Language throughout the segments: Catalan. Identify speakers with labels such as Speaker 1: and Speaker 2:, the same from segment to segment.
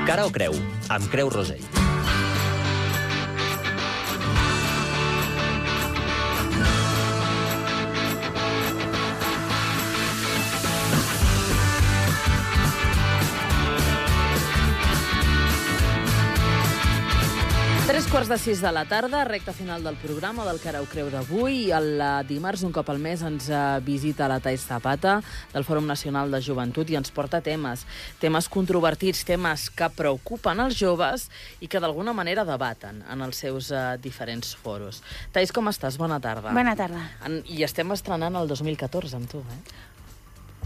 Speaker 1: Cara o creu, amb Creu Rosell.
Speaker 2: Tres quarts de 6 de la tarda, recta final del programa del Cara o Creu d'avui. El dimarts, un cop al mes, ens visita la Thais Zapata del Fòrum Nacional de Joventut i ens porta temes controvertits, temes que preocupen els joves i que d'alguna manera debaten en els seus diferents foros. Thais, com estàs? Bona tarda.
Speaker 3: Bona tarda.
Speaker 2: I estem estrenant el 2014 amb tu,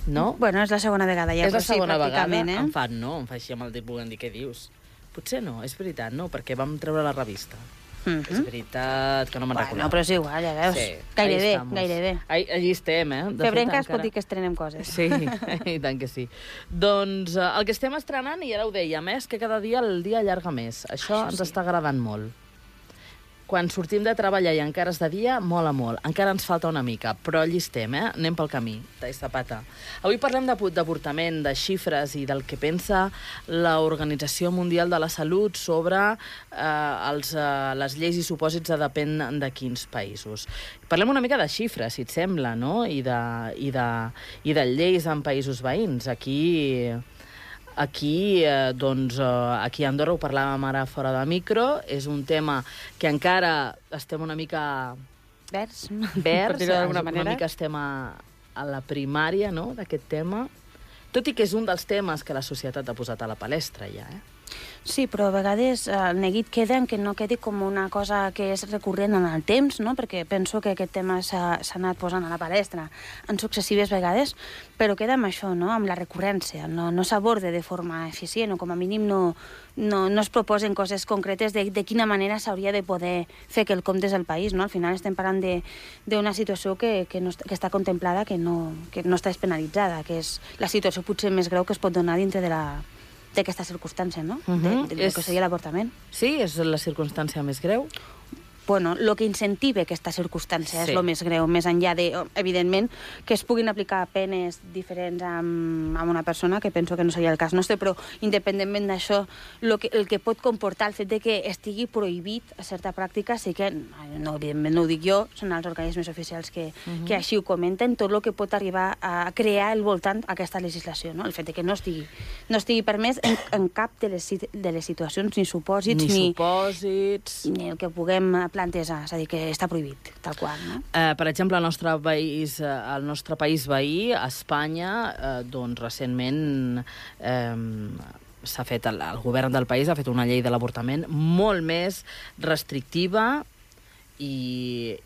Speaker 2: No?
Speaker 3: Bueno, és la segona vegada ja,
Speaker 2: és la segona vegada,
Speaker 3: Em
Speaker 2: fa així amb el dit volent dir què dius. Potser no, és veritat, no, perquè vam treure la revista. És veritat, que no me'n recordava.
Speaker 3: No, però és igual, ja veus.
Speaker 2: Sí,
Speaker 3: gairebé.
Speaker 2: Allí estem,
Speaker 3: Febrenques pot dir que estrenem coses.
Speaker 2: Sí, i tant que sí. Doncs el que estem estrenant, i ara ho dèiem, és que cada dia el dia allarga més. Això ens està agradant molt. Quan sortim de treballar i encara és de dia, mola molt. Encara ens falta una mica, però allí estem, Anem pel camí. Thais Zapata. Avui parlem d'avortament, de xifres i del que pensa l'Organització Mundial de la Salut sobre les lleis i supòsits de depèn de quins països. Parlem una mica de xifres, si et sembla, no? I de lleis en països veïns. Aquí a Andorra, ho parlàvem ara fora de micro, és un tema que encara estem una mica
Speaker 3: verds,
Speaker 2: per dir-ho d'alguna manera. Una mica estem a la primària, no?, d'aquest tema, tot i que és un dels temes que la societat ha posat a la palestra ja,
Speaker 3: Sí, però a vegades el neguit queda en que no quedi com una cosa que és recurrent en el temps, no? Perquè penso que aquest tema s'ha anat posant a la palestra en successives vegades, però queda amb això, no?, amb la recurrència. No s'aborde de forma eficient o com a mínim no es proposen coses concretes de quina manera s'hauria de poder fer quelcom des del país, no? Al final estem parlant d'una situació que està contemplada, que no està despenalitzada, que és la situació potser més greu que es pot donar dintre d'aquesta circumstància, no? De que seria l'avortament.
Speaker 2: Sí? És la circumstància més greu?
Speaker 3: Bueno, el que incentiva aquesta circumstància és el més greu, més enllà de, evidentment, que es puguin aplicar penes diferents amb una persona, que penso que no seria el cas nostre, però independentment d'això, el que pot comportar el fet de que estigui prohibit a certa pràctica, sí que, evidentment no ho dic jo, són els organismes oficials que així ho comenten, tot el que pot arribar a crear al voltant aquesta legislació, no? El fet de que no estigui permès en cap de les situacions, ni supòsits, ni el que puguem plantejar, és a dir, que està prohibit, tal qual, no?
Speaker 2: Per exemple, el nostre país veí, Espanya, doncs recentment s'ha fet, el govern del país ha fet una llei de l'avortament molt més restrictiva i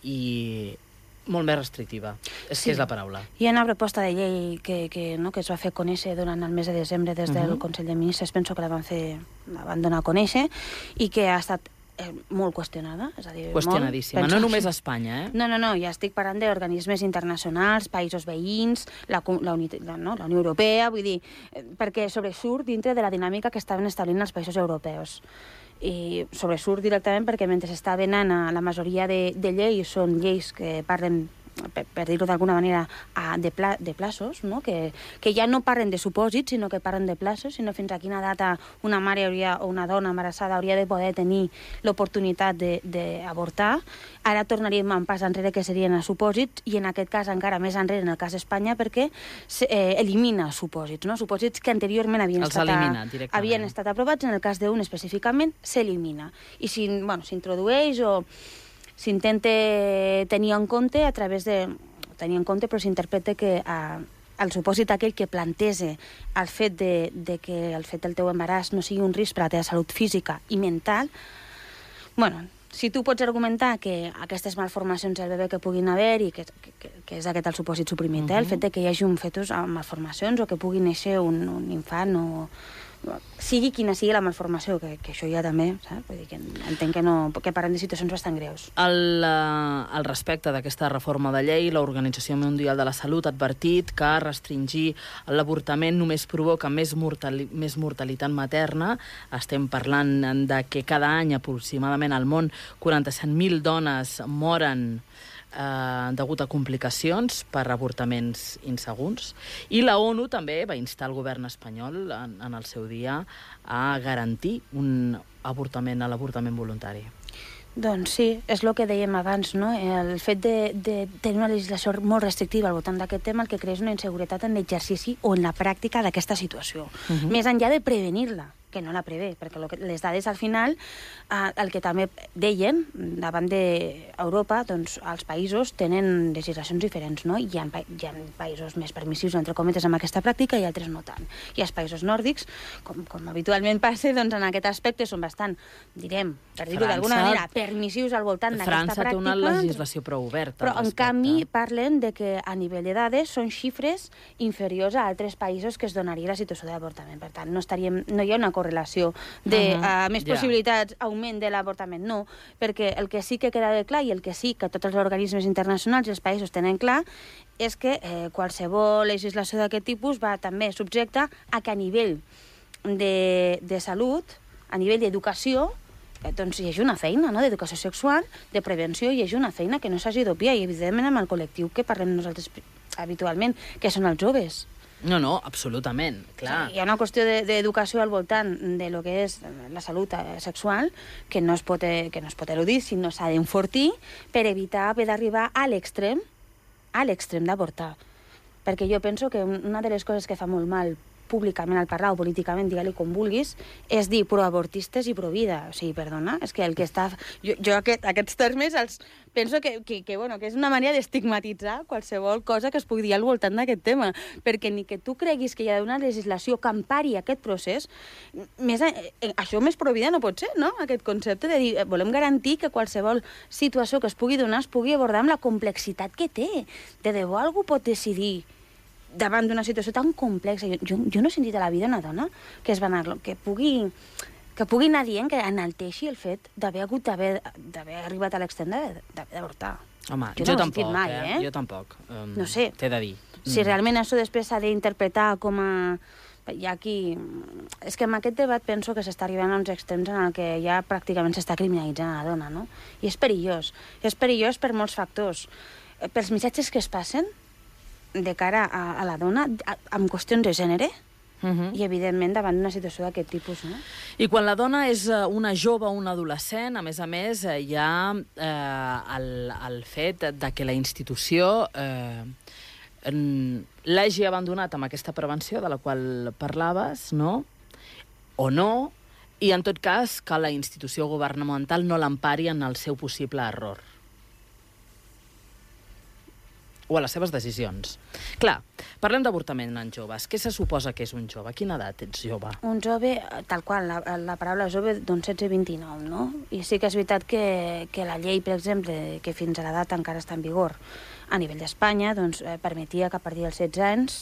Speaker 2: molt més restrictiva. És que és la paraula.
Speaker 3: Hi ha una proposta de llei que es va fer conèixer durant el mes de desembre des del Consell de Ministres, penso que la van donar a conèixer, i que ha estat molt qüestionada, és a dir,
Speaker 2: qüestionadíssima, no només a Espanya,
Speaker 3: No, ja estic parlant d'organismes internacionals, països veïns, la Unió Europea, vull dir, perquè sobresurt dintre de la dinàmica que estaven establint els països europeus. I sobresurt directament perquè mentre estaven a la majoria de lleis, són lleis que parlen, per dir-ho d'alguna manera, de plaços, no? Que ja no parlen de supòsits, sinó que parlen de plaços, sinó fins a quina data una mare o una dona embarassada hauria de poder tenir l'oportunitat d'avortar. Ara tornaríem un pas enrere, que serien els supòsits, i en aquest cas encara més enrere, en el cas d'Espanya, perquè elimina supòsits, no? Supòsits que anteriorment havien estat aprovats, en el cas d'un específicament s'elimina. I s'introdueix o s'intenta tenir en compte a través de... tenir en compte, però s'interpreta que el supòsit aquell que plantege el fet de que el fet del teu embaràs no sigui un risc per a la teva salut física i mental, si tu pots argumentar que aquestes malformacions del bebè que puguin haver i que és aquest el supòsit suprimit, el fet de que hi hagi un fetus amb malformacions o que pugui néixer un infant o sigui quina sigui la malformació, que això ja també, saps? Vull dir que entenc que parlem de situacions bastant greus.
Speaker 2: Al respecte d'aquesta reforma de llei, l'Organització Mundial de la Salut ha advertit que restringir l'avortament només provoca més mortalitat materna. Estem parlant de que cada any aproximadament al món 47.000 dones moren degut a complicacions per avortaments insegurs. I la ONU també va instar el govern espanyol en el seu dia a garantir l'avortament voluntari.
Speaker 3: Doncs sí, és el que dèiem abans, no? El fet de tenir una legislació molt restrictiva al voltant d'aquest tema el que crea és una inseguretat en l'exercici o en la pràctica d'aquesta situació. Més enllà de prevenir-la, que no la prevé, perquè les dades al final, el que també deien davant d'Europa, doncs els països tenen legislacions diferents, no? Hi ha països més permissius, entre cometes, amb aquesta pràctica i altres no tant. I els països nòrdics, com habitualment passa, doncs en aquest aspecte són bastant, direm, per dir-ho d'alguna manera, permissius al voltant d'aquesta pràctica.
Speaker 2: França té una legislació prou oberta.
Speaker 3: Però, en canvi, parlen de que a nivell de dades són xifres inferiors a altres països que es donaria la situació d'avortament. Per tant, no hi ha una correlació de més possibilitats, augment de l'avortament, no, perquè el que sí que queda clar i el que sí que tots els organismes internacionals i els països tenen clar és que qualsevol legislació d'aquest tipus va també subjecta a que a nivell de salut, a nivell d'educació, doncs hi hagi una feina, no?, d'educació sexual, de prevenció, hi hagi una feina que no s'hagi d'obviar, i evidentment amb el col·lectiu que parlem nosaltres habitualment, que són els joves.
Speaker 2: No, absolutament, clar.
Speaker 3: Hi ha una qüestió d'educació al voltant de lo que és la salut sexual que no es pot eludir, sinó s'ha d'enfortir per evitar haver d'arribar a l'extrem d'avortar. Perquè jo penso que una de les coses que fa molt mal públicament al parlar o políticament, digue-li com vulguis, és dir proavortistes i provida. O sigui, perdona, és que el que està... Jo aquests termes els penso que és una manera d'estigmatitzar qualsevol cosa que es pugui dir al voltant d'aquest tema, perquè ni que tu creguis que hi ha una legislació que empari aquest procés, això més provida no pot ser, no? Aquest concepte de dir, volem garantir que qualsevol situació que es pugui donar es pugui abordar amb la complexitat que té. De debò algú pot decidir davant d'una situació tan complexa. Jo no he sentit a la vida una dona que pugui anar dient, que enalteixi el fet d'haver arribat a l'extrem d'avortar.
Speaker 2: Home, jo tampoc, mai, Jo tampoc.
Speaker 3: No sé.
Speaker 2: T'he de dir.
Speaker 3: Si realment això després s'ha d'interpretar com a... Hi ha aquí... És que en aquest debat penso que s'està arribant a uns extrems en el que ja pràcticament s'està criminalitzant a la dona, no? I és perillós. És perillós per molts factors. Pels missatges que es passen de cara a la dona, amb qüestions de gènere, i, evidentment, davant d'una situació d'aquest tipus, no?
Speaker 2: I quan la dona és una jove o una adolescent, a més, hi ha el fet de que la institució l'hagi abandonat amb aquesta prevenció de la qual parlaves, no? O no, i, en tot cas, que la institució governamental no l'empari en el seu possible error. O a les seves decisions. Clar, parlem d'avortament en joves. Què se suposa que és un jove? A quina edat ets jove?
Speaker 3: Un jove, tal qual, la paraula jove, doncs 16-29, no? I sí que és veritat que la llei, per exemple, que fins a l'edat encara està en vigor a nivell d'Espanya, doncs permetia que a partir dels 16 anys,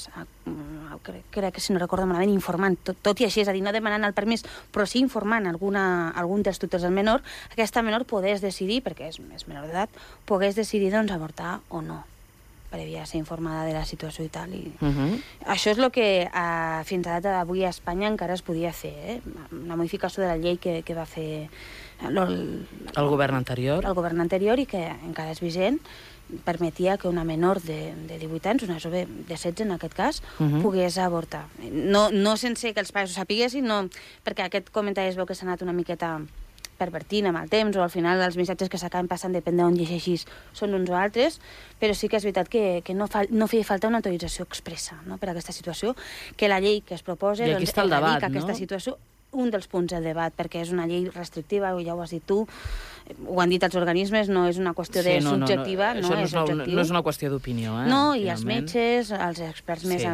Speaker 3: crec que si no recordo malament, informant, tot i així, és a dir, no demanant el permís, però sí informant algun dels tutors del menor, aquesta menor pogués decidir, perquè és menor d'edat, pogués decidir, doncs, avortar o no, prèvia a ser informada de la situació i tal. Això és el que fins a data d'avui a Espanya encara es podia fer, una modificació de la llei que va fer
Speaker 2: el govern anterior.
Speaker 3: El govern anterior, i que encara és vigent, permetia que una menor de 18 anys, una jove de 16 en aquest cas, pogués avortar. No sense que els pares ho sapiguessin, no, perquè aquest comentari es veu que s'ha anat una miqueta pervertint amb el temps, o al final els missatges que s'acaben passant, depèn d'on llegeixis, són uns o altres, però sí que és veritat que no feia falta una autorització expressa, no?, per a aquesta situació, que la llei que es proposa erradica aquesta situació, un dels punts del debat, perquè és una llei restrictiva, ja ho has dit tu, ho han dit els organismes, no és una qüestió de subjectiva.
Speaker 2: No és una qüestió d'opinió.
Speaker 3: No, i els metges, els experts més...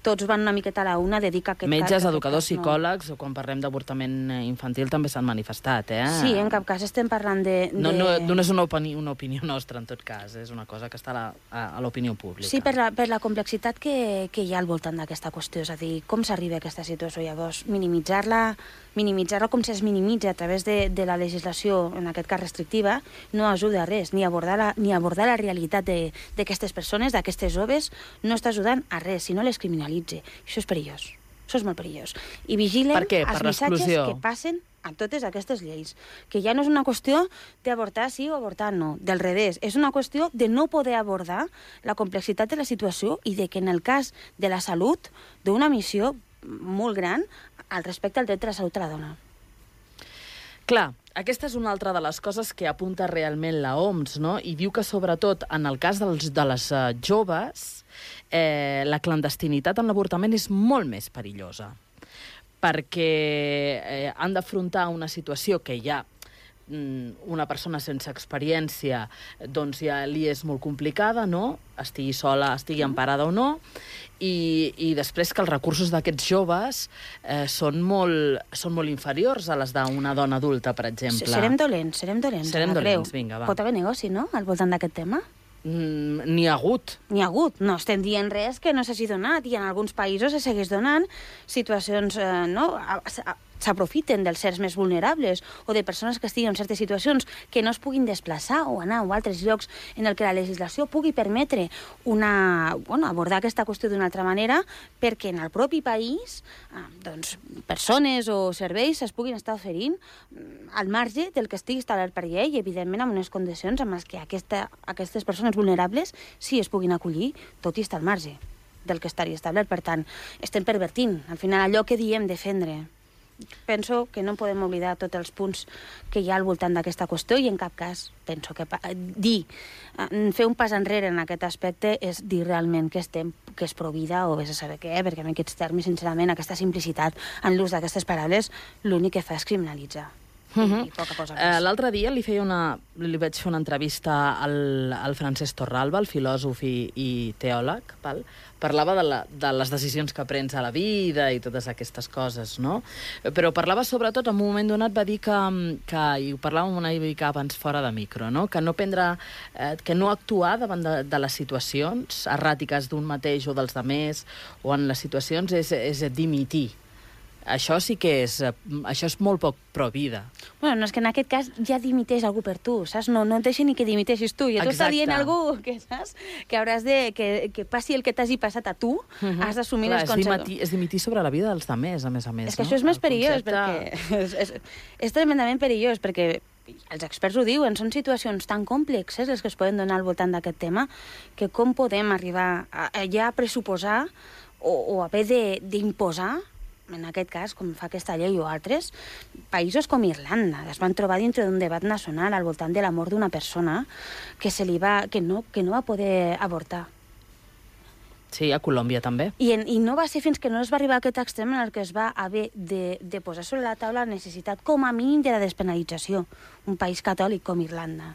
Speaker 3: Tots van una miqueta a la una a dedicar aquest...
Speaker 2: Metges, educadors, psicòlegs, o quan parlem d'avortament infantil també s'han manifestat,
Speaker 3: Sí, en cap cas estem parlant de...
Speaker 2: No és una opinió nostra, en tot cas, és una cosa que està a l'opinió pública.
Speaker 3: Sí, per la complexitat que hi ha al voltant d'aquesta qüestió, és a dir, com s'arriba a aquesta situació, llavors, minimitzar-la com es minimitza a través de la legislació, en aquest cas restrictiva, no ajuda a res, ni abordar la realitat d'aquestes persones, d'aquestes joves, no està ajudant a res, sinó les criminalitza. Això és perillós, això és molt perillós. I vigilen els missatges que passen a totes aquestes lleis, que ja no és una qüestió d'avortar sí o avortar no, del revés, és una qüestió de no poder abordar la complexitat de la situació i de que en el cas de la salut, d'una missió molt gran al respecte al dret de la salut de la dona.
Speaker 2: Clar, aquesta és una altra de les coses que apunta realment la OMS, no? I diu que, sobretot, en el cas de les joves, la clandestinitat en l'avortament és molt més perillosa, perquè han d'afrontar una situació que ja una persona sense experiència doncs ja li és molt complicada, no? Estigui sola, estigui emparada o no, i després que els recursos d'aquests joves són molt inferiors a les d'una dona adulta, per exemple.
Speaker 3: Serem dolents.
Speaker 2: Vinga, va.
Speaker 3: Pot haver negoci, no?, al voltant d'aquest tema?
Speaker 2: N'hi ha hagut.
Speaker 3: No estem dient res que no s'hagi donat, i en alguns països se segueix donant situacions, s'aprofiten dels sers més vulnerables o de persones que estiguin en certes situacions que no es puguin desplaçar o anar a altres llocs en el que la legislació pugui permetre abordar aquesta qüestió d'una altra manera, perquè en el propi país persones o serveis es puguin estar oferint al marge del que estigui establert per llei i, evidentment, amb unes condicions amb les que aquestes persones vulnerables sí es puguin acollir, tot i estar al marge del que estaria establert. Per tant, estem pervertint, al final, allò que diem defendre. Penso que no podem oblidar tots els punts que hi ha al voltant d'aquesta qüestió i en cap cas penso que fer un pas enrere en aquest aspecte és dir realment que és provida o vés a saber què, perquè en aquests termes, sincerament, aquesta simplicitat en l'ús d'aquestes paraules l'únic que fa és criminalitzar. I poca cosa més.
Speaker 2: L'altre dia li vaig fer una entrevista al Francesc Torralba, el filòsof i teòleg, val? Parlava de les decisions que prens a la vida i totes aquestes coses, no? Però parlava sobretot, en un moment donat va dir que i ho parlàvem una mica abans fora de micro, no? Que no actuar davant de les situacions erràtiques d'un mateix o dels demés o en les situacions és dimitir. Això sí que és molt poc pro-vida.
Speaker 3: Bueno, no és que en aquest cas ja dimiteix algú per tu, saps? No et deixa ni que dimiteixis tu. I tu estàs dient algú que saps que hauràs de... que passi el que t'hagi passat a tu, has d'assumir les conseqüències.
Speaker 2: És dimitir sobre la vida dels demés, a més.
Speaker 3: És que això és més perillós, perquè... És tremendament perillós, perquè els experts ho diuen, són situacions tan complexes les que es poden donar al voltant d'aquest tema, que com podem arribar a ja pressuposar o haver d'imposar, en aquest cas, com fa aquesta llei o altres, països com Irlanda es van trobar dintre d'un debat nacional al voltant de la mort d'una persona que no va poder avortar.
Speaker 2: Sí, a Colòmbia també.
Speaker 3: I no va ser fins que no es va arribar a aquest extrem en el que es va haver de posar sobre la taula la necessitat, com a mínim, de la despenalització. Un país catòlic com Irlanda.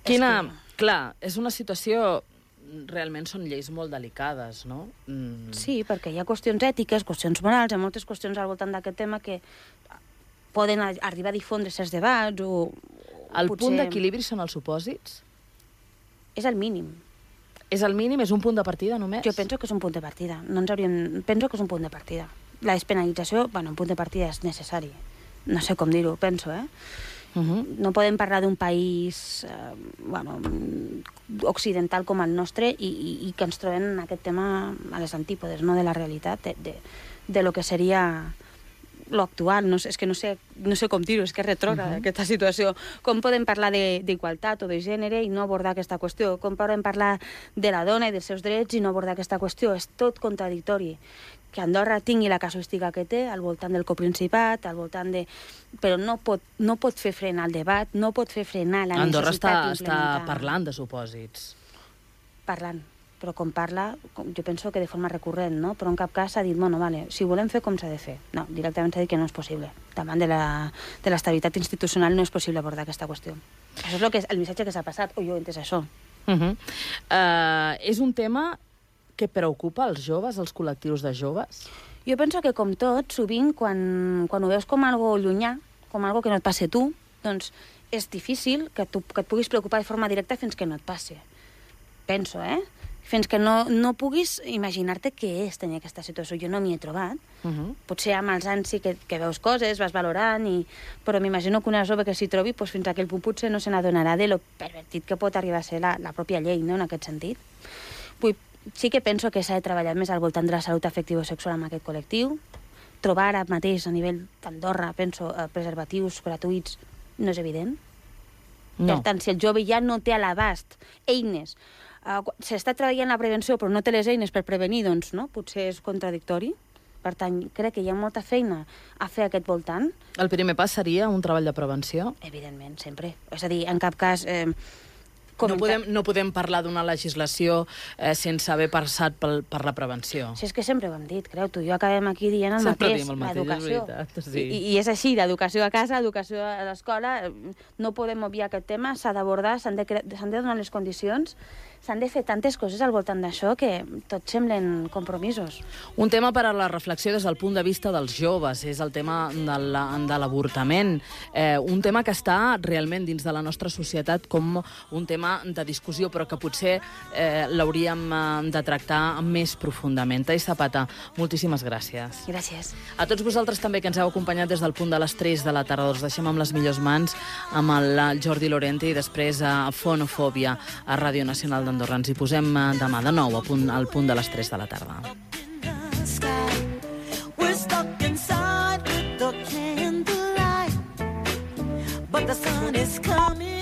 Speaker 2: Clar, és una situació... Realment són lleis molt delicades, no?
Speaker 3: Sí, perquè hi ha qüestions ètiques, qüestions morals, hi ha moltes qüestions al voltant d'aquest tema que poden arribar a difondre certs debats o
Speaker 2: el punt d'equilibri són els supòsits?
Speaker 3: És el mínim.
Speaker 2: És el mínim? És un punt de partida només?
Speaker 3: Jo penso que és un punt de partida. Penso que és un punt de partida. La despenalització, un punt de partida és necessari. No sé com dir-ho, penso, No podem parlar d'un país occidental com el nostre i que ens trobem en aquest tema a les antípodes, no, de la realitat, de lo que seria lo actual. És que no sé com dir-ho, és que és retrògrada aquesta situació. Com podem parlar d'igualtat o de gènere i no abordar aquesta qüestió? Com podem parlar de la dona i dels seus drets i no abordar aquesta qüestió? És tot contradictori. Que Andorra tingui la casuística que té al voltant del coprincipat, al voltant de... Però no pot fer frenar el debat, no pot fer frenar la necessitat d'implementar...
Speaker 2: Andorra està parlant de supòsits.
Speaker 3: Parlant. Però com parla, jo penso que de forma recurrent, no? Però en cap cas s'ha dit, si volem fer, com s'ha de fer? No, directament s'ha dit que no és possible. Davant de l'estabilitat institucional no és possible abordar aquesta qüestió. Això és el missatge que s'ha passat, o jo he entès això.
Speaker 2: És un tema que preocupa els joves, els col·lectius de joves?
Speaker 3: Jo penso que, com tot, sovint, quan ho veus com algo llunyà, com algo que no et passe tu, doncs és difícil que et puguis preocupar de forma directa fins que no et passe. Penso, Fins que no puguis imaginar-te què és tenir aquesta situació. Jo no m'hi he trobat. Potser amb els anys sí que veus coses, vas valorant, però m'imagino que una jove que s'hi trobi, fins a aquell punt potser no se n'adonarà de lo pervertit que pot arribar a ser la pròpia llei, no?, en aquest sentit. Sí que penso que s'ha de treballar més al voltant de la salut afectiva i sexual amb aquest col·lectiu. trobar ara mateix a nivell d'Andorra, penso, preservatius gratuïts, no és evident.
Speaker 2: No.
Speaker 3: Per tant, si el jove ja no té a l'abast eines, s'està treballant la prevenció però no té les eines per prevenir, doncs no? Potser és contradictori. Per tant, crec que hi ha molta feina a fer aquest voltant.
Speaker 2: El primer pas seria un treball de prevenció?
Speaker 3: Evidentment, sempre. És a dir, en cap cas...
Speaker 2: No podem parlar d'una legislació sense haver passat per la prevenció.
Speaker 3: Si és que sempre ho hem dit, creu tu. Jo acabem aquí dient el
Speaker 2: sempre
Speaker 3: mateix, l'educació.
Speaker 2: Sí.
Speaker 3: I és així, l'educació a casa, l'educació a l'escola, no podem obviar aquest tema, s'ha d'abordar, s'han de donar les condicions, s'han de fer tantes coses al voltant d'això que tots semblen compromisos.
Speaker 2: Un tema per a la reflexió des del punt de vista dels joves és el tema de l'avortament. Un tema que està realment dins de la nostra societat com un tema de discussió, però que potser l'hauríem de tractar més profundament. Thais Zapata, moltíssimes gràcies.
Speaker 3: Gràcies.
Speaker 2: A tots vosaltres també que ens heu acompanyat des del punt de les 3 de la tarda. Us deixem amb les millors mans amb el Jordi Lorente i després a Fonofòbia a Ràdio Nacional d'Andorra. Ens hi posem demà de nou al punt de les 3 de la tarda.
Speaker 4: We're stuck inside the candlelight, but the sun is coming.